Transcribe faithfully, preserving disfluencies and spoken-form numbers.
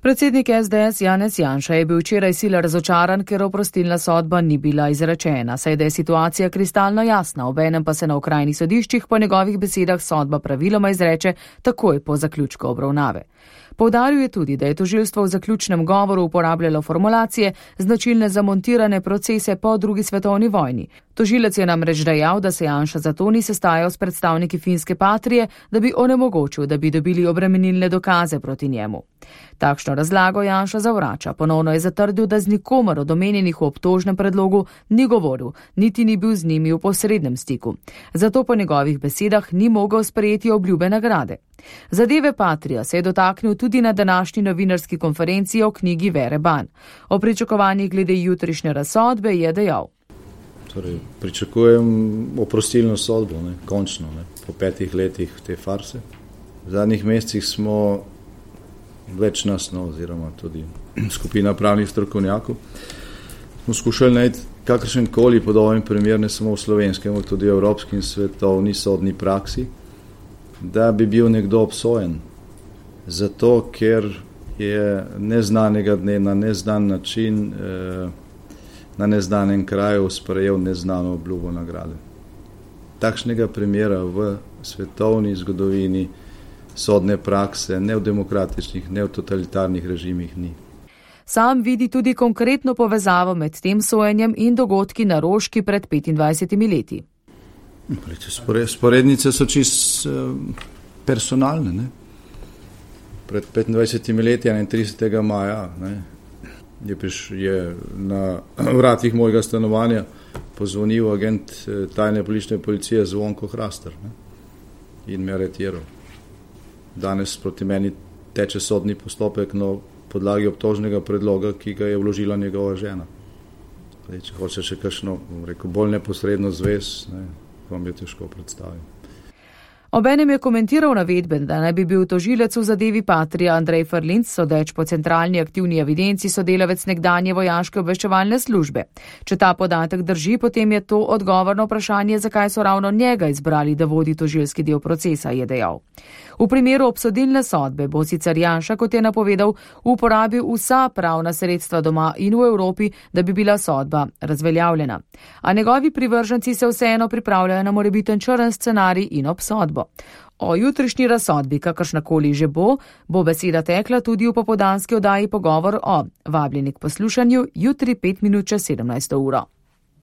Predsednik S D S Janez Janša je bil včeraj sila razočaran, ker oprostilna sodba ni bila izrečena, saj da je situacija kristalno jasna, obenem pa se na okrajnih sodiščih po njegovih besedah sodba praviloma izreče takoj po zaključku obravnave. Poudaril je tudi, da je tožilstvo v zaključnem govoru uporabljalo formulacije, značilne za montirane procese po drugi svetovni vojni. Tožilec je namreč dejal, da se Janša zato ni sestajal s predstavniki finske Patrie, da bi onemogočil, da bi dobili obremenilne dokaze proti njemu. Takšno razlago Janša zavrača. Ponovno je zatrdil, da z nikomer od omenjenih v obtožnem predlogu ni govoril, niti ni bil z njimi v posrednem stiku. Zato po njegovih besedah ni mogel sprejeti obljube nagrade. Zadeve Patria se je dotaknil tudi na današnji novinarski konferenci o knjigi Vere Ban. O pričakovanjih glede jutrišnje razsodbe je dejal. Torej, pričakujem oprostilno sodbo, ne, končno, ne, po petih letih te farse. V zadnjih mesecih smo več nas, no, oziroma tudi skupina pravnih strokovnjakov, smo skušali najti kakršen koli podoben primer, ne samo v slovenskem, tudi v evropski in svetovni sodni praksi, da bi bil nekdo obsojen. Zato, ker je neznanega dne na neznan način eh, na neznanem kraju sprejel neznano obljubo nagrade. Takšnega primera v svetovni zgodovini sodne prakse, ne v demokratičnih, ne v totalitarnih režimih ni. Sam vidi tudi konkretno povezavo med tem sojenjem in dogodki na Roški pred petindvajsetimi leti. Sporednice so čist personalne. Ne? Pred petindvajsetimi leti, enaintridesetega maja, ne, je, priš, je na vratih mojega stanovanja pozvonil agent tajne politične policije Zvonko Hrastar, ne, in me aretiral. Danes proti meni teče sodni postopek na podlagi obtožnega predloga, ki ga je vložila njegova žena. Zdaj, če hoče še kakšno, rekel, bolj neposredno zvez, ne, vam je težko predstaviti. Obenem je komentiral navedbe, da naj bi bil tožilec v zadevi Patria Andrej Ferlinc, sodeč po centralni aktivni evidenci, sodelavec nekdanje vojaške obveščevalne službe. Če ta podatek drži, potem je to odgovor na vprašanje, zakaj so ravno njega izbrali, da vodi tožilski del procesa, je dejal. V primeru obsodilne sodbe bo sicer Janša, kot je napovedal, uporabil vsa pravna sredstva doma in v Evropi, da bi bila sodba razveljavljena. A njegovi privrženci se vseeno pripravljajo na morebiten črn scenarij in obsodbo. O jutrišnji razsodbi, kakršnakoli že bo, bo beseda tekla tudi v popoldanski oddaji Pogovor o. Vabljeni k poslušanju jutri pet minut čez sedemnajsto uro.